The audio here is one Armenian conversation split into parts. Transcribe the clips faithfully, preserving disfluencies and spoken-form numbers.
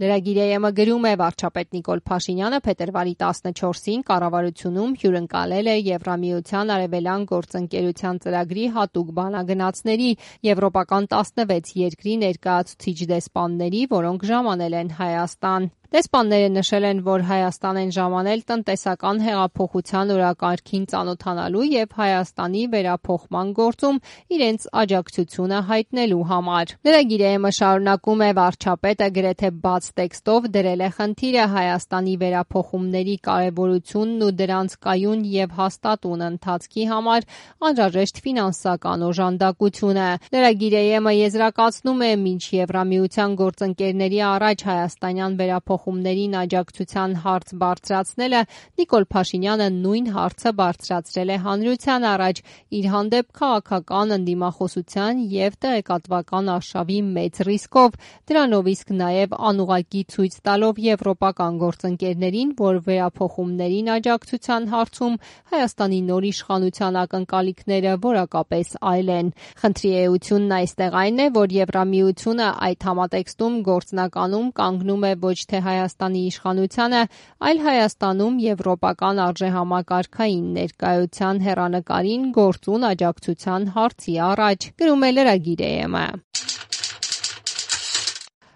Լրագիր գրում է վարչապետ Նիկոլ Փաշինյանը փետրվարի տասնչորսին կառավարությունում հյուրընկալել է Եվրամիության արևելյան գործընկերության ծրագրի հատուկ բանագնացների եվրոպական տասնվեց երկրի ներկայացուցիչ դեսպանների, որոնք ժամանել են Հայաստան։ Դեսպանները նշել են, որ Հայաստան են ժամանել տնտեսական հեղափոխության օրակարգին ծանոթանալու և Հայաստանի վերափոխման գործում իրենց աջակցությունը հայտնելու համար։ Լրագիրը շարունակում է վարչապետը գրեթե բաց տեքստով դրել է խնդիրը Հայաստանի վերափոխումների կարևորությունն ու դրանց կայուն և հաստատուն ընթացքի համար անհրաժեշտ ֆինանսական օժանդակությունը։ Լրագիրը եզրակացնում է, մինչ Եվրամիության գործընկերների առաջ հայաստանյան վերափոխումներին աջակցության հարց բարձրացնելը, Նիկոլ Փաշինյանը նույն հարցը բարձրացրել է հանրության առաջ իր հանդեպ քաղաքական ընդդիմախոսության և տեղեկատվական արշավի մեծ ռիսկով, դրանով իսկ նաև անուղղակի ցույց տալով եվրոպական գործընկերներին, որ վերափոխումներին աջակցության հարցում Հայաստանի նոր իշխանության ակնկալիքները որակապես այլ են։ Խնդրի էությունն այստեղ այն է, որ Եվրամիությունը այդ համատեքստում գործնականում կանգնում է ոչ թե Հայաստանի իշխանությանը, այլ Հայաստանում եվրոպական արժեհամակարգային ներկայության հեռանկարին գործուն աջակցության հարցի առաջ, գրում է լրագիր ԵՄ։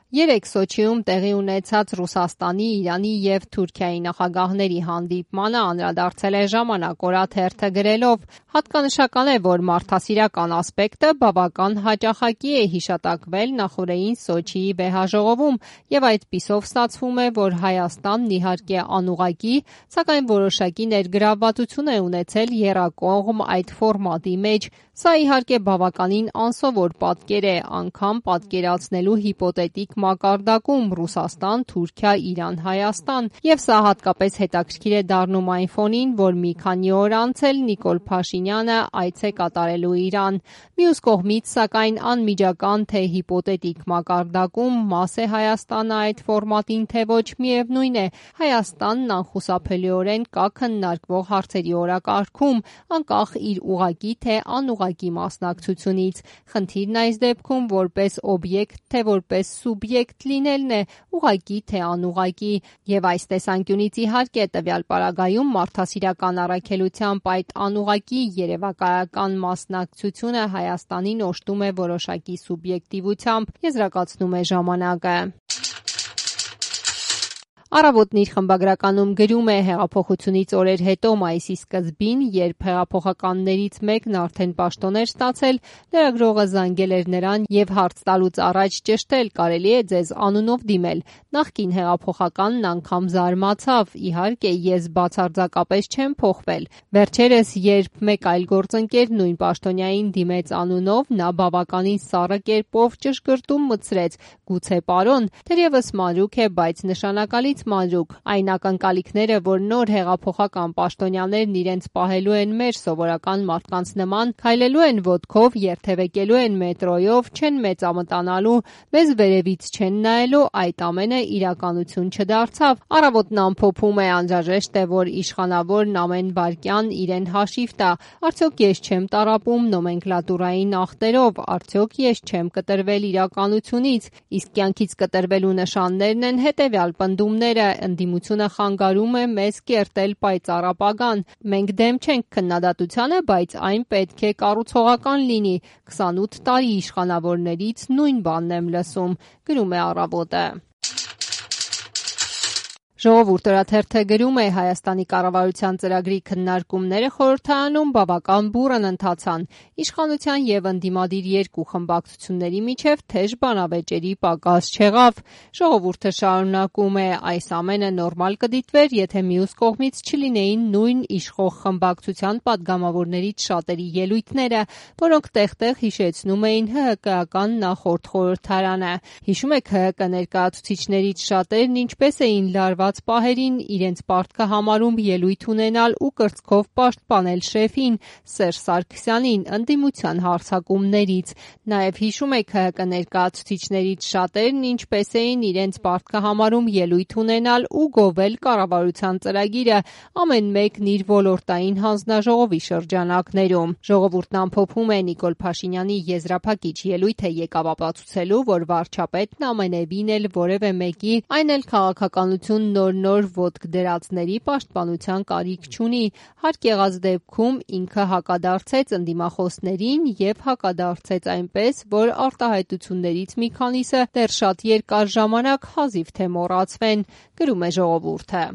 Երեկ Սոչիում տեղի ունեցած Ռուսաստանի, Իրանի և Թուրքիայի նախագահների հանդիպմանը անդրադարձել է ժամանակ օրաթերթը գրելով. հատկանշական է, որ մարդասիրական ասպեկտը բավական հաճախակի է հիշատակվել նախօրեին Սոչիի վեհաժողովում և այդպիսով ստացվում է, որ Հայաստանն իհարկե անուղղակի, սակայն որոշակի ներգրավվածություն է ունեցել եռակողմ այդ ֆորմատի մեջ։ Սա իհարկե բավականին անսովոր պատկեր է, անգամ պատկերացնելու հիպոթետիկ մակարդակում Ռուսաստան, Թուրքիա, Իրան, Հայաստան, և սա հատկապես հետաքրքիր է դառնում այն ֆոնին, որ մի քանի օր անց էլ Նիկոլ Փաշինյանը այց է կատարելու Իրան։ Մյուս կողմից, սակայն, անմիջական թե հիպոթետիկ մակարդակում մաս է Հայաստանը այդ ֆորմատին, թե ոչ, միևնույն է, Հայաստանն անխուսափելիորեն կա քննարկվող հարցերի օրակարգում, անկախ իր ուղղակի թե անուղղակի մասնակցությունից։ Խնդիրն այս դեպքում որպես օբյեկտ թե որպես սուբյեկտ լինելն է, ուղղակի թե անուղղակի, և այս տեսանկյունից իհարկե տվյալ պարագայում մարդասիրական առաքելությամբ այդ անուղղակի երևակայական մասնակցությունը Հայաստանին օժտում է որոշակի սուբյեկտիվությամբ, եզրակացնում է ժամանակը։ Առավոտն իր խմբագրականում գրում է. հեղափոխությունից օրեր հետո մայիսի սկզբին, երբ հեղափոխականներից մեկն արդեն պաշտոն էր ստացել, լրագրողը զանգել էր նրան և հարց տալուց առաջ ճշտել՝ կարելի է ձեզ անունով դիմել։ Նախկին հեղափոխականն անգամ զարմացավ. իհարկե, ես բացարձակապես չեմ փոխվել։ Վերջերս, երբ մեկ այլ գործընկեր նույն պաշտոնյային դիմեց անունով, նա բավականին սառը կերպով ճշգրտում մտցրեց. գուցե պարոն, թերևս մանրուք է, բայց նշանակալից մանրուք։ Այն ակնկալիքները, որ նոր հեղափոխական պաշտոնյաներն իրենց պահելու են մեր սովորական մարդկանց նման, քայլելու են ոտքով, երթևեկելու են մետրոյով, չեն մեծամտանալու, մեզ վերևից չեն նայելու, այդ ամենը իրականություն չդարձավ։ Առավոտն ամփոփում է. անհրաժեշտ է, որ իշխանավորն ամեն վայրկյան իրեն հաշիվ տա. արդյոք ես չեմ տառապում նոմենկլատուրային ախտերով, արդյոք ես չեմ կտրվել իրականությունից, իսկ կյանքից կտրվելու նշաններն են հետևյալ պնդումները. ընդդիմությունը խանգարում է մեզ կերտել պայծառ ապագան։ Մենք դեմ չենք քննադատությանը, բայց այն պետք է կառուցողական լինի։ քսանութ տարի իշխանավորներից նույն բանն եմ լսում, գրում է Առավոտը։ Ժողովուրդ օրաթերթը գրում է. Հայաստանի կառավարության ծրագրի քննարկումները խորհրդարանում բավական բուռն ընթացան։ Իշխանության և ընդդիմադիր երկու խմբակցությունների միջև թեժ բանավեճերի պակաս չեղավ։ Ժողովուրդը շարունակում է. այս ամենը նորմալ կդիտվեր, եթե մյուս կողմից չլինեին նույն իշխող խմբակցության պատգամավորներից շատերի ելույթները, որոնք տեղ-տեղ հիշեցնում էին ՀՀԿ-ական նախորդ խորհրդարանը։ Հիշում եք, ՀՀԿ ներկայացուցիչներից շատերն ինչպես էին լարված կորած պահերին իրենց պարտքը համարում ելույթ ունենալ ու կրծքով պաշտպանել շեֆին՝ Սերժ Սարգսյանին ընդդիմության հարձակումներից։ Նաև հիշում է K H K ներկայացուցիչներից շատերն ինչպես էին իրենց պարտքը համարում ելույթ ունենալ ու գովել կառավարության ծրագիրը, ամեն մեկն իր ոլորտային հանձնաժողովի շրջանակներում։ Ժողովուրդն ամփոփում է Նիկոլ Փաշինյանի եզրափակիչ ելույթը եկավ ապացուցելու, որ վարչապետն ամենևին էլ որևէ մեկի, այն էլ քաղաքականություն նոր-նոր ոտք դրածների պաշտպանության կարիք չունի։ Հարկ եղած դեպքում ինքը հակադարձեց ընդդիմախոսներին և հակադարձեց այնպես, որ արտահայտություններից մի քանիսը դեռ շատ երկար ժամանակ հազիվ թե մոռացվեն, գրում է Ժողովուրդը։